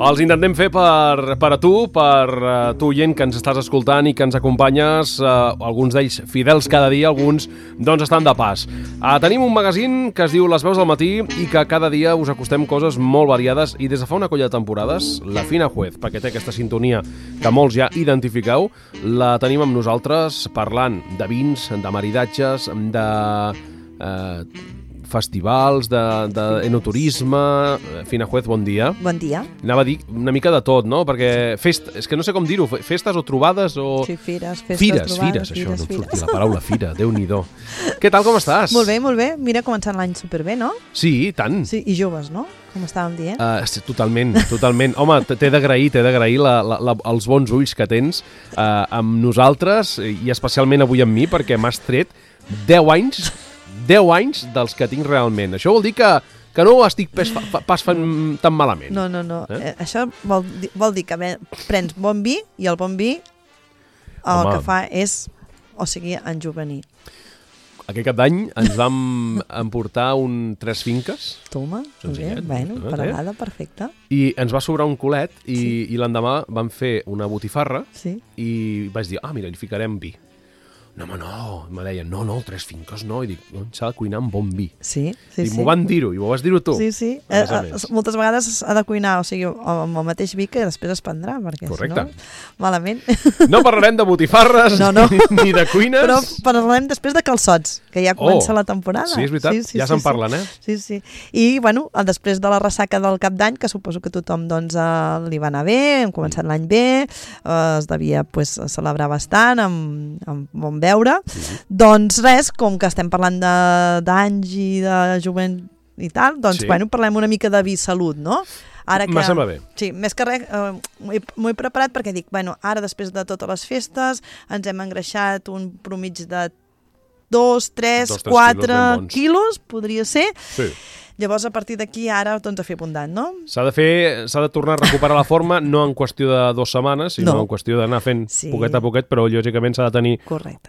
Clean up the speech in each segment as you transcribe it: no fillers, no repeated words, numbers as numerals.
Els intentem fer per a tu, tu oient que ens estàs escoltant i que ens acompanyes, alguns d'ells fidels cada dia, alguns doncs estan de pas. Tenim un magazín que es diu Les Veus del Matí i que cada dia us acostem coses molt variades i des de fa una colla de temporades, la Fina Juez, perquè té aquesta sintonia que molts ja identifiqueu, la tenim amb nosaltres parlant de vins, de maridatges, de festivals, d'enoturisme. Fina Juez, bon dia. Bon dia. Anava a dir una mica de tot, no? Perquè és que no sé com dir-ho, festes o trobades o... Sí, fires, trobades. Fires, això, no em sortia la paraula fira, Déu-n'hi-do. Què tal, com estàs? Molt bé. Mira, començant l'any superbé, no? Sí, tant. Sí, i joves, no? Com estàvem dient? Totalment. Home, t'he d'agrair els bons ulls que tens amb nosaltres i especialment avui amb mi, perquè m'has tret 10 anys dels que tinc realment. Això vol dir que no ho estic pas fent tan malament. No. Això vol dir que prens bon vi i el bon vi que fa és, enjovenir. Aquest cap d'any ens vam emportar 3 finques. Toma, parada, perfecte. I ens va sobrar un culet i l'endemà vam fer una botifarra i vaig dir, mira, hi ficarem vi. No, me deien, no, 3 finques no, i dic, s'ha de cuinar amb bon vi. Sí. M'ho van dir-ho, i m'ho vas dir-ho tu. Sí. Moltes vegades s'ha de cuinar, amb el mateix vi que després es prendrà, perquè correcte. Si no, malament. No parlarem de botifarres ni de cuines. Però parlarem després de calçots, que ja comença la temporada. Sí, és veritat, ja se'n parlen, Sí. I, després de la ressaca del cap d'any, que suposo que tothom li va anar bé, hem començat l'any bé, es devia celebrar bastant, amb bon veure, doncs res, com que estem parlant d'anys i de jovent i tal, doncs parlem una mica de vi salut, no? Me sembla bé. Sí, més que res, m'ho he preparat perquè dic, ara després de totes les festes ens hem engreixat un promig de 2, 3, 4 quilos, podria ser. Sí. Llavors, a partir d'aquí, ara, a fer abundant, no? S'ha de tornar a recuperar la forma, no en qüestió de 2 setmanes, sinó en qüestió d'anar fent poquet a poquet, però lògicament s'ha de tenir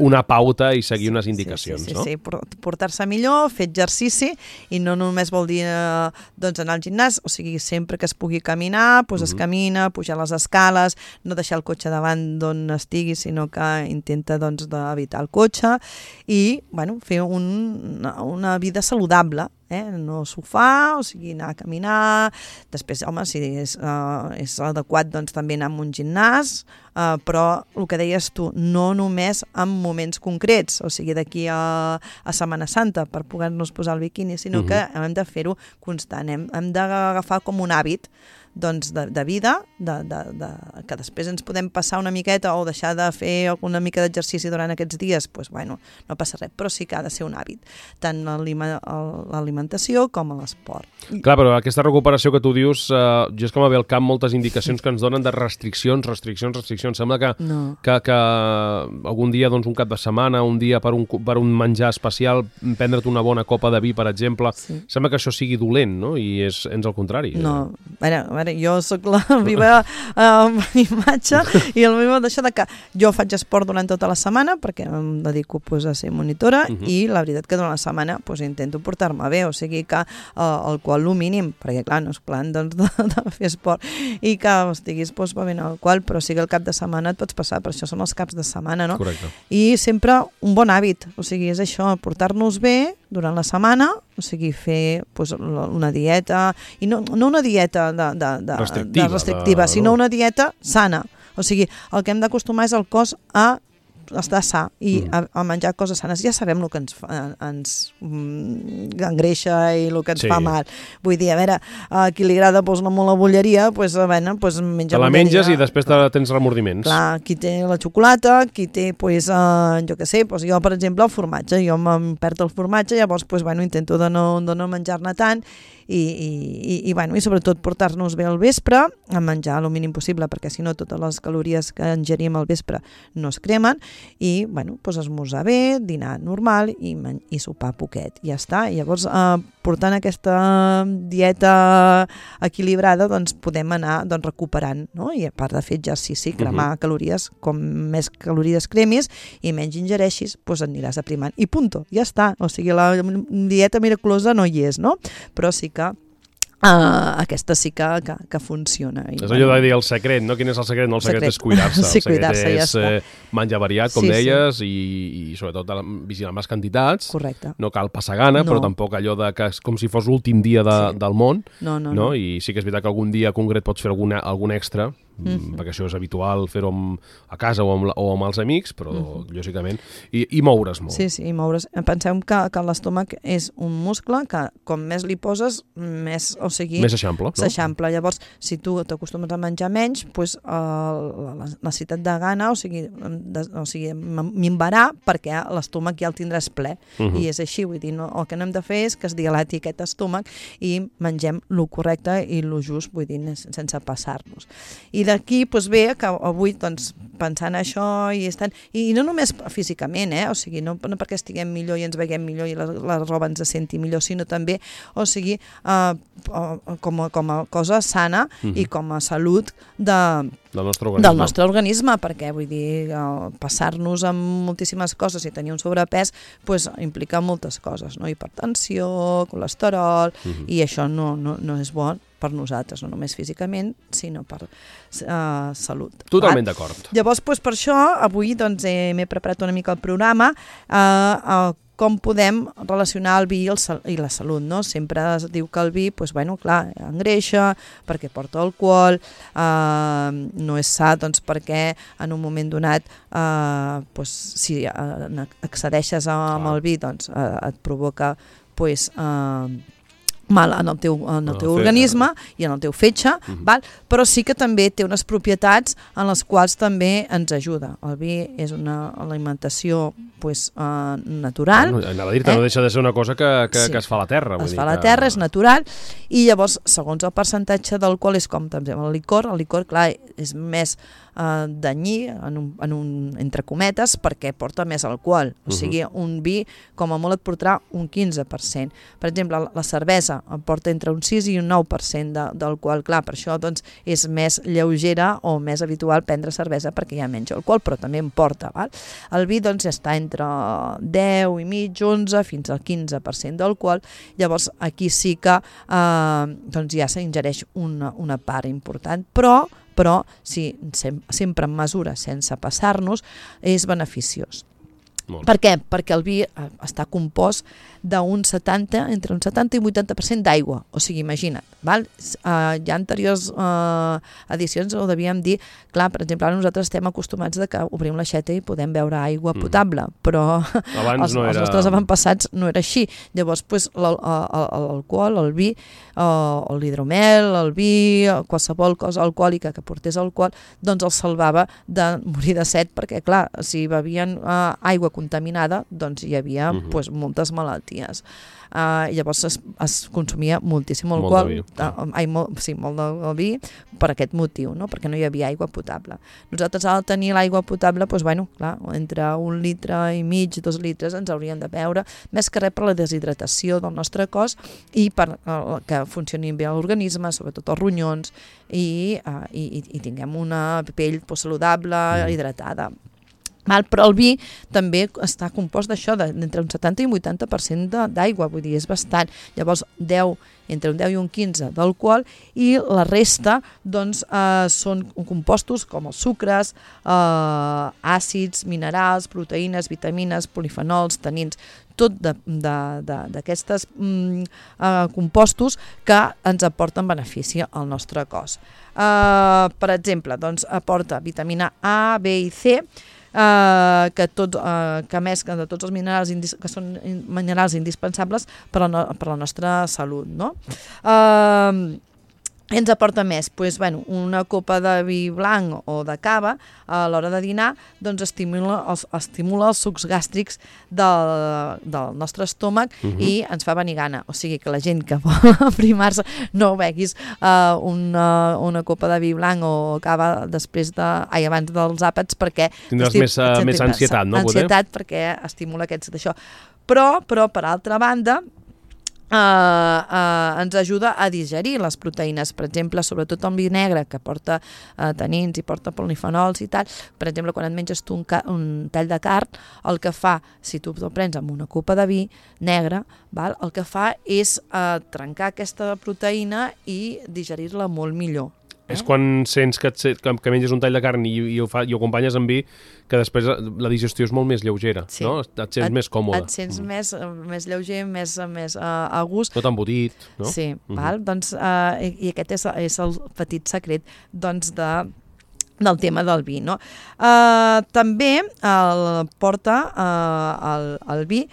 una pauta i seguir unes indicacions, no? Sí, portar-se millor, fer exercici, i no només vol dir anar al gimnàs, sempre que es pugui caminar, es camina, pujar les escales, no deixar el cotxe davant d'on estigui, sinó que intenta d'evitar el cotxe, i fer una vida saludable, no sofà, anar a caminar, després, si és adequat, també anar a un gimnàs, però el que deies tu, no només en moments concrets, d'aquí a Setmana Santa per poder-nos posar el biquini, sinó que hem de fer-ho constant, hem d'agafar com un hàbit de vida, que després ens podem passar una miqueta o deixar de fer una mica d'exercici durant aquests dies, no passa res, però sí que ha de ser un hàbit, tant l'alimentació com l'esport. Clar, però aquesta recuperació que tu dius, jo és que m'ha ve al cap moltes indicacions que ens donen de restriccions. Sembla que algun dia, un cap de setmana, un dia per un menjar especial, prendre't una bona copa de vi, per exemple, sembla que això sigui dolent, no? I és al contrari. No, a veure, jo sóc la meva imatge i el meu d'això que jo faig esport durant tota la setmana perquè em dedico a ser monitora i la veritat que durant la setmana intento portar-me bé, que alcohol el mínim, perquè clar, no és plan de fer esport i que estiguis bevent alcohol, però sí que el cap de setmana et pots passar, per això són els caps de setmana, no? Correcte. I sempre un bon hàbit, és això, portar-nos bé durant la setmana, fer una dieta, i no una dieta restrictiva, sinó una dieta sana. El que hem d'acostumar és el cos a estar sa i a menjar coses sanes. Ja sabem el que ens engreixa i el que ens fa mal. Vull dir, a veure, a qui li agrada molt la bolleria, menja bolleria. Te la menges i després tens remordiments. Clar, qui té la xocolata, qui té, jo què sé, jo, per exemple, el formatge. Jo em perd el formatge, llavors, intento de no menjar-ne tant i sobretot portar-nos bé al vespre, a menjar el mínim possible, perquè si no totes les calories que ingerim al vespre no es cremen, i esmorzar bé, dinar normal i sopar poquet, i ja està. I llavors, portant aquesta dieta equilibrada, podem anar recuperant, no? I a part de fer exercici, cremar calories, com més calories cremis i menys ingereixis, et aniràs aprimant. I punto, ja està. La dieta miraculosa no hi és, no? Però sí que aquesta sí que funciona. És allò de dir el secret, no? Quin és el secret? No, el secret és cuidar-se. Sí, el secret cuidar-se, és menjar variat, com deies, i sobretot vigilar amb les quantitats. Correcte. No cal passar gana, però tampoc allò de que és com si fos l'últim dia del món. No. I sí que és veritat que algun dia concret pots fer algun extra, perquè això és habitual fer-ho a casa o amb els amics, però lògicament, i moure's molt. Sí, i moure's. Pensem que l'estómac és un muscle que com més li poses, més s'eixampla. No? S'eixampla. Llavors, si tu t'acostumes a menjar menys, doncs, la necessitat de gana, o sigui minvarà perquè l'estómac ja el tindràs ple. I és així, vull dir, el que no hem de fer és que es dilati aquest estómac i mengem el correcte i el just, vull dir, sense passar-nos. I d'aquí ve que avui, doncs, pensant això i no només físicament, o sigui, no perquè estiguem millor i ens veiem millor i la roba ens senti millor, sinó també, o sigui, com a cosa sana i com a salut del nostre organisme, perquè vull dir, passar-nos amb moltíssimes coses i tenir un sobrepès implica moltes coses, no? Hipertensió, colesterol, i això no és bo per nosaltres, no només físicament, sinó per salut. Totalment d'acord. Llavors, per això, avui m'he preparat una mica el programa com podem relacionar el vi i la salut, no? Sempre es diu que el vi, clar, engreixa, perquè porta alcohol, no és sa, perquè en un moment donat, si accedeixes amb el vi, et provoca, mal en el teu organisme i en el teu fetge, però sí que també té unes propietats en les quals també ens ajuda. El vi és una alimentació natural. Anava a dir-te, no deixa de ser una cosa que es fa a la terra. Es fa a la terra, és natural, i llavors, segons el percentatge d'alcohol, és com també el licor, clar, és més danyí, entre cometes, perquè porta més alcohol. O sigui, un vi, com a molt, et portarà un 15%. Per exemple, la cervesa porta entre un 6 i un 9% d'alcohol. Clar, per això és més lleugera o més habitual prendre cervesa perquè hi ha menys alcohol, però també en porta. El vi està entre 10 i mig, 11 fins al 15% d'alcohol. Llavors, aquí sí que ja s'ingereix una part important, però si sempre en mesura, sense passar-nos, és beneficiós. Per què? Perquè el vi està compost entre un 70 i 80% d'aigua. O sigui, imagina't. Ja anteriors edicions ho devíem dir, clar, per exemple, ara nosaltres estem acostumats que obrim l'aixeta i podem beure aigua potable, però els nostres avantpassats no era així. Llavors, l'alcohol, el vi, l'hidromel, el vi, qualsevol cosa alcohòlica que portés alcohol, doncs els salvava de morir de set, perquè, clar, si bevien aigua contaminada, doncs hi havia moltes malalties. Llavors es consumia moltíssim alcohol, molt de vi, per aquest motiu, no? Perquè no hi havia aigua potable. Nosaltres, al tenir l'aigua potable, clar, entre 1,5 litres, 2 litres ens hauríem de beure, més que res per la deshidratació del nostre cos i per que funcionin bé l'organisme, sobretot els ronyons, i tinguem una pell saludable, hidratada. Però el vi també està compost d'això, d'entre un 70 i un 80% d'aigua, vull dir, és bastant. Llavors, entre un 10 i un 15 d'alcohol, i la resta són compostos com els sucres, àcids, minerals, proteïnes, vitamines, polifenols, tanins, tot d'aquestes compostos que ens aporten benefici al nostre cos. Per exemple, aporta vitamina A, B i C, que més que de tots els minerals que són minerals indispensables per a la nostra salut, no? Ens aporta més? Una copa de vi blanc o de cava a l'hora de dinar estimula els sucs gàstrics del nostre estómac i ens fa venir gana. O sigui que la gent que vol aprimar-se no beguis una copa de vi blanc o cava abans dels àpats, perquè tindràs més ansietat, no? Ansietat, perquè estimula aquests d'això. Però per altra banda, ens ajuda a digerir les proteïnes. Per exemple, sobretot el vi negre, que porta tanins i porta polifenols i tal, per exemple, quan et menges tu un tall de carn, el que fa, si tu te'l prens amb una copa de vi negre, val? El que fa és trencar aquesta proteïna i digerir-la molt millor. És quan sents que menges un tall de carn i ho acompanyes amb vi, que després la digestió és molt més lleugera, sí. No? Et sents més còmode. Et sents més lleuger, més a gust. No tan embotit, no? Sí, val? Doncs, i aquest és el petit secret doncs, del tema del vi, no? També porta el vi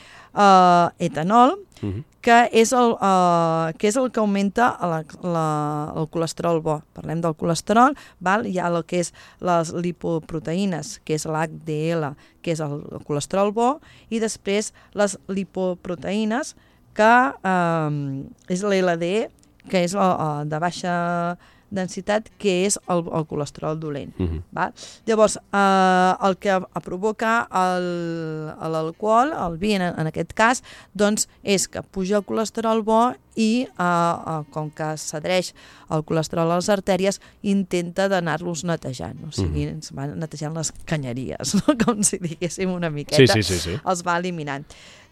etanol, que és el que augmenta el colesterol bo. Parlem del colesterol, val? Hi ha el que és les lipoproteïnes, que és l'HDL, que és el colesterol bo, i després les lipoproteïnes, que és l'LDL, que és de baixa densitat, que és el colesterol dolent. Val? Llavors, el que provoca l'alcohol, el vi en aquest cas, doncs és que puja el colesterol bo i com que s'adhereix el colesterol a les artèries, intenta d'anar-los netejant, o sigui, ens va netejant les canyeries, no? Com si diguéssim una miqueta, sí. Els va eliminant.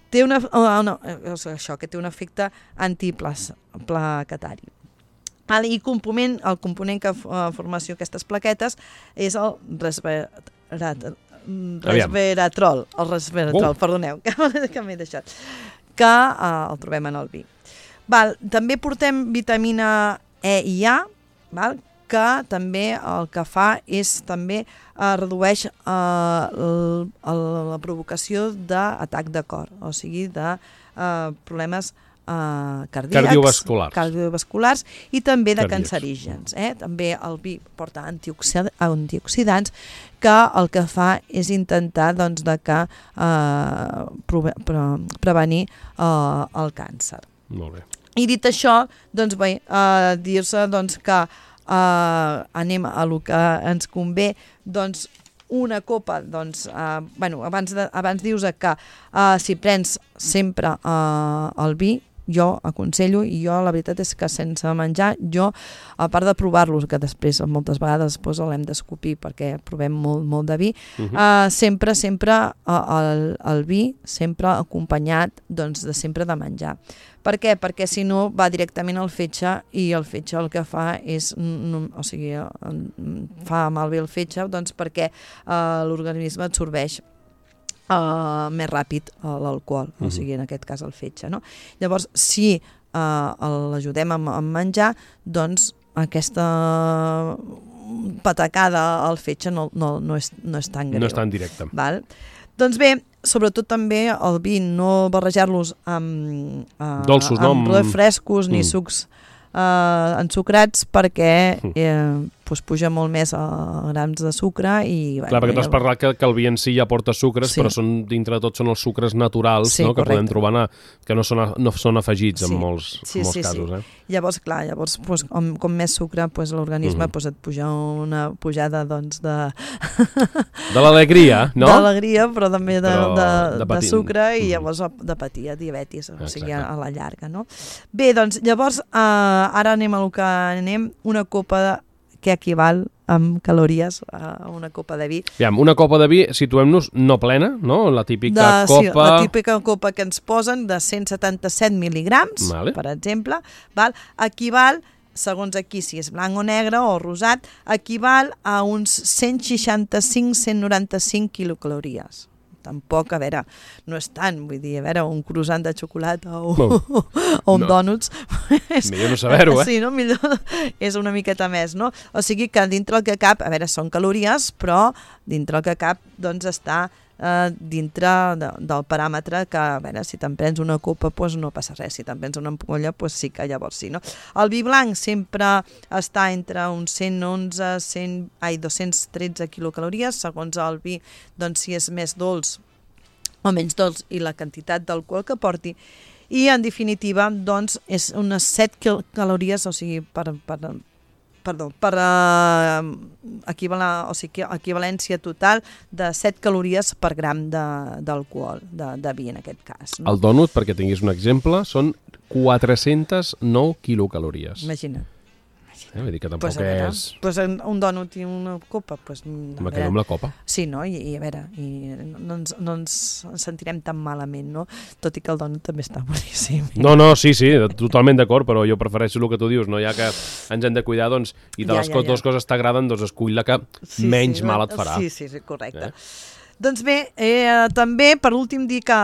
Té això, que té un efecte antiplaquetari. I el component que formació aquestes plaquetes és el resveratrol, perdoneu, que m'he deixat, que el trobem en el vi. També portem vitamina E i A, que també el que fa és també redueix la provocació d'atac de cor, o sigui, de problemes cardiovasculars i també de cancerígens. També el vi porta antioxidants que el que fa és intentar doncs, de que prevenir el càncer. Molt bé. I dit això, doncs bé, dir-se doncs, que anem a lo que ens convé, doncs una copa, doncs, abans dius que si prens sempre el vi, jo aconsello, i jo la veritat és que sense menjar, jo, a part de provar-los, que després moltes vegades l'hem d'escopir perquè provem molt de vi, sempre el vi, sempre acompanyat doncs, sempre de menjar. Per què? Perquè si no va directament al fetge i el fetge el que fa és, o sigui, fa malbé el fetge doncs perquè l'organisme absorbeix més ràpid l'alcohol, o sigui, en aquest cas el fetge, no? Llavors, si l'ajudem a menjar, doncs aquesta patacada al fetge no és tan greu. No és tan directe. Val? Doncs bé, sobretot també el vi, no barrejar-los amb dolços, amb refrescos ni sucs ensucrats, perquè puja molt més grams de sucre i... Clar, perquè tu has parlat que el vi en si ja porta sucres, però dintre de tot són els sucres naturals que podem trobar, que no són afegits en molts casos. Llavors, clar, com més sucre, l'organisme et puja una pujada de l'alegria, no? De l'alegria, però també de sucre, i llavors de patir diabetis, o sigui, a la llarga, no? Bé, doncs, llavors, ara anem a lo que anem, una copa que equival amb calories a una copa de vi. Una copa de vi, situem-nos no plena, no? La típica copa... Sí, la típica copa que ens posen de 177 mil·ligrams, per exemple, equival, segons aquí si és blanc o negre o rosat, equival a uns 165-195 quilocalories. Tampoc, a veure, no és tant, vull dir, a veure, un croissant de xocolata o un dònuts... Millor no saber-ho, Sí, no? Millor és una miqueta més, no? O sigui que dintre el que cap, a veure, són calories, però dintre el que cap, doncs, està dintre del paràmetre que, a veure, si te'n prens una copa, doncs no passa res, si te'n prens una ampolla, doncs sí que llavors sí, no? El vi blanc sempre està entre uns 213 quilocalories, segons el vi, doncs si és més dolç o menys dolç i la quantitat d'alcohol que porti, i en definitiva, doncs, és unes 7 calories, o sigui, per equivalència total de 7 calories per gram d'alcohol, de vi en aquest cas. No? El dònut, perquè tinguis un exemple, són 409 quilocalories. Imagina't. Vull dir que tampoc és... Pues un dònut i una copa, pues, me quedo amb la copa. Sí, no? I a veure, no ens sentirem tan malament, no? Tot i que el dònut també està boníssim. No, sí, totalment d'acord, però jo prefereixo el que tu dius, no? Ja que ens hem de cuidar, doncs, i de les dues coses t'agraden, doncs escull la que menys mal et farà. Sí, correcte. Doncs bé, també per últim dir que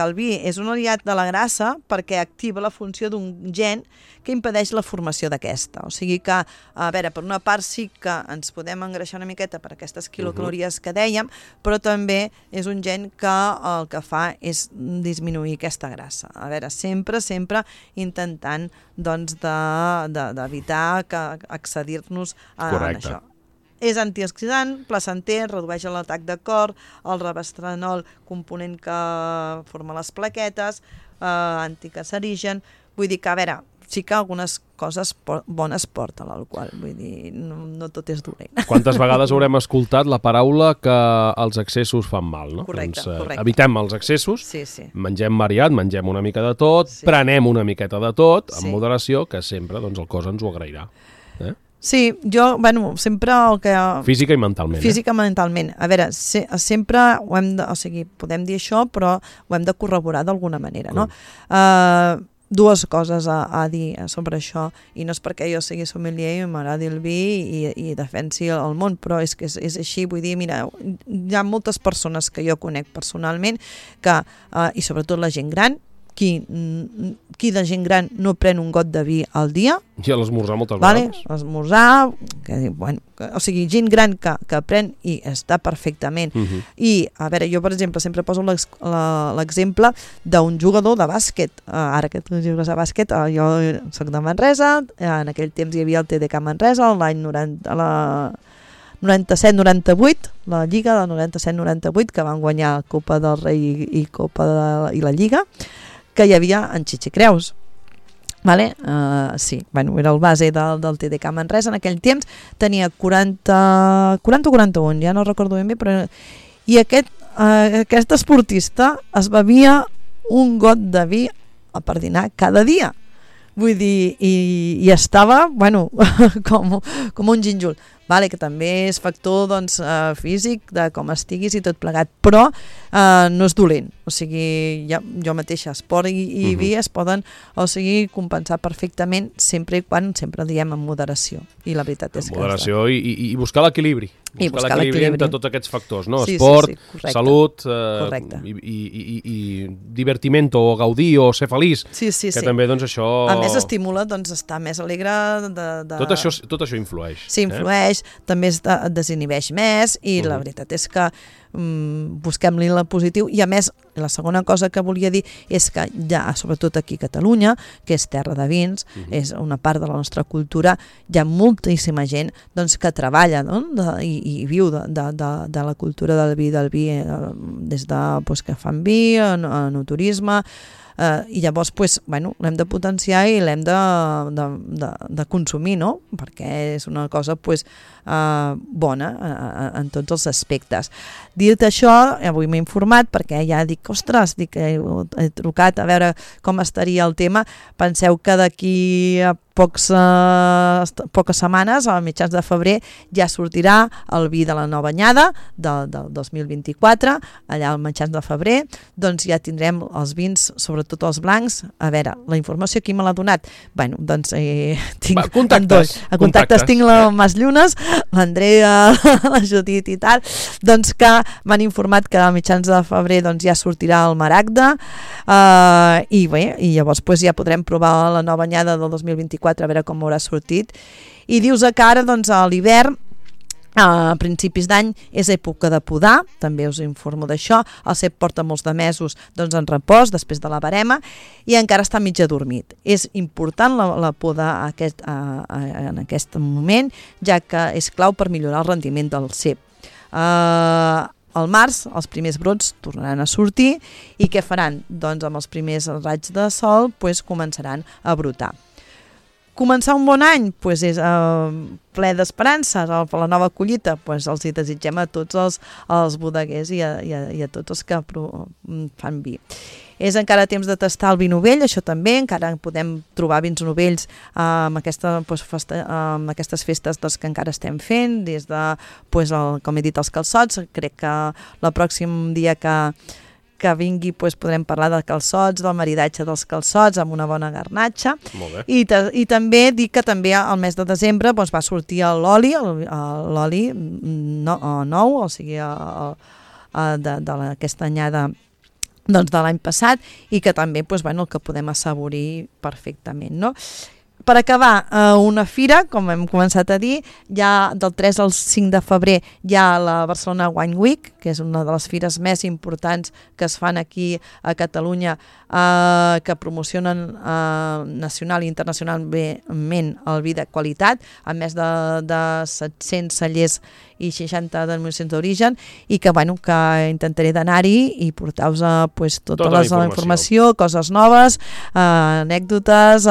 el vi és un aliat de la grassa perquè activa la funció d'un gen que impedeix la formació d'aquesta. O sigui que, a veure, per una part sí que ens podem engreixar una miqueta per aquestes quilocalories que dèiem, però també és un gen que el que fa és disminuir aquesta grassa. A veure, sempre intentant doncs, d'evitar accedir-nos a això. És antioxidant, placenter, redueix l'atac de cor, el revestrenol, component que forma les plaquetes, anticancerigen. Vull dir que, a veure, sí que algunes coses bones porta l'alcohol, vull dir, no tot és dolent. Quantes vegades haurem escoltat la paraula que els excessos fan mal, no? Correcte. Evitem els excessos, sí. Mengem variat, mengem una mica de tot, prenem una miqueta de tot, amb moderació, que sempre doncs, el cos ens ho agrairà. Sí, jo, sempre el que... Física i mentalment. Física i mentalment. A veure, sempre ho hem de... O sigui, podem dir això, però ho hem de corroborar d'alguna manera, no? Dues coses a dir sobre això, i no és perquè jo sigui sommelier i m'agradi el vi i defensi el món, però és que és així, vull dir, mira, hi ha moltes persones que jo conec personalment que, i sobretot la gent gran, qui de gent gran no pren un got de vi al dia? I a l'esmorzar moltes vegades. L'esmorzar, o sigui, gent gran que pren i està perfectament. I, a veure, jo, per exemple, sempre poso l'exemple d'un jugador de bàsquet. Ara que tu jugues a bàsquet, jo soc de Manresa, en aquell temps hi havia el TDK Manresa, l'any 97-98, la Lliga del 97-98, que van guanyar Copa del Rei i la Lliga, que hi havia en Chichi Creus. Vale? Sí, era el base del TDK Manresa en aquell temps, tenia 40 o 41, ja no recordo ben bé, però... I aquest esportista es bevia un got de vi per dinar cada dia. Vull dir, i estava, com un gínjol. Vale, que també és factor físic de com estiguis i tot plegat, però no és dolent. O sigui, jo mateixa, esport i vi es poden compensar perfectament sempre i quan sempre diem en moderació. I la veritat és que... Moderació i buscar l'equilibri. Buscar l'equilibri entre tots aquests factors, no? Sí, esport, correcte. salut i divertiment o gaudir o ser feliç. Sí. Que també això... A més estimula estar més alegre de... Tot això influeix. Sí, influeix, també es desinhibeix més i la veritat és que busquem-li la positiu. I a més, la segona cosa que volia dir és que ja, sobretot aquí a Catalunya, que és terra de vins, és una part de la nostra cultura, hi ha moltíssima gent que treballa i viu de la cultura del vi, des de que fan vi, en turisme, i llavors l'hem de potenciar i l'hem de consumir, no? Perquè és una cosa bona en tots els aspectes. Dit això, avui m'he informat perquè ja dic, he trucat a veure com estaria el tema. Penseu que d'aquí a poques setmanes, a mitjans de febrer, ja sortirà el vi de la nova anyada del 2024, allà al mitjans de febrer, doncs ja tindrem els vins, sobretot els blancs. A veure, la informació qui me l'ha donat? Tinc contactes tinc la Mas Llunes, l'Andrea, la Judit i tal, doncs que m'han informat que a mitjans de febrer ja sortirà el Maragda, i llavors ja podrem provar la nova anyada del 2024, a veure com haurà sortit. I dius que ara, a l'hivern, a principis d'any, és època de podar, també us informo d'això. El cep porta molts de mesos en repòs, després de la verema, i encara està mig adormit. És important la poda en aquest moment, ja que és clau per millorar el rendiment del cep. Al març, els primers brots tornaran a sortir, i què faran? Doncs amb els primers raigs de sol començaran a brotar. començar un bon any pues és ple d'esperances per la nova collita, pues els hi desitgem a tots els bodeguers i a tots els que fan vi. És encara temps de tastar el vi novell, això també, encara podem trobar vins novells amb aquestes festes que encara estem fent, des de, com he dit, els calçots. Crec que el pròxim dia que vingui podrem parlar de calçots, del maridatge dels calçots amb una bona garnatxa. I també dic que també al mes de desembre va sortir l'oli nou, o sigui d'aquesta anyada de l'any passat, i que també el que podem assaborir perfectament, no? Per acabar, una fira, com hem començat a dir, ja del 3 al 5 de febrer hi ha la Barcelona Wine Week, que és una de les fires més importants que es fan aquí a Catalunya, que promocionen nacional i internacionalment el vi de qualitat, amb més de 700 cellers i 60 denominacions d'origen, i que intentaré d'anar-hi i portar-vos tota la informació, coses noves, anècdotes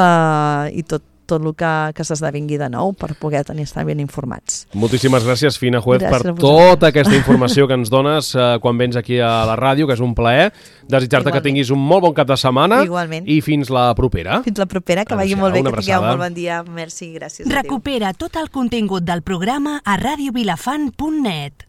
i tot el que s'esdevingui de nou per poder estar ben informats. Moltíssimes gràcies, Fina Juez, per tota aquesta informació que ens dones quan vens aquí a la ràdio, que és un plaer. Desitjar-te que tinguis un molt bon cap de setmana. Igualment. I fins la propera. Fins la propera, que vagi molt bé, que tingueu un molt bon dia. Merci, gràcies. Recupera tot el contingut del programa a radiovilafant.net.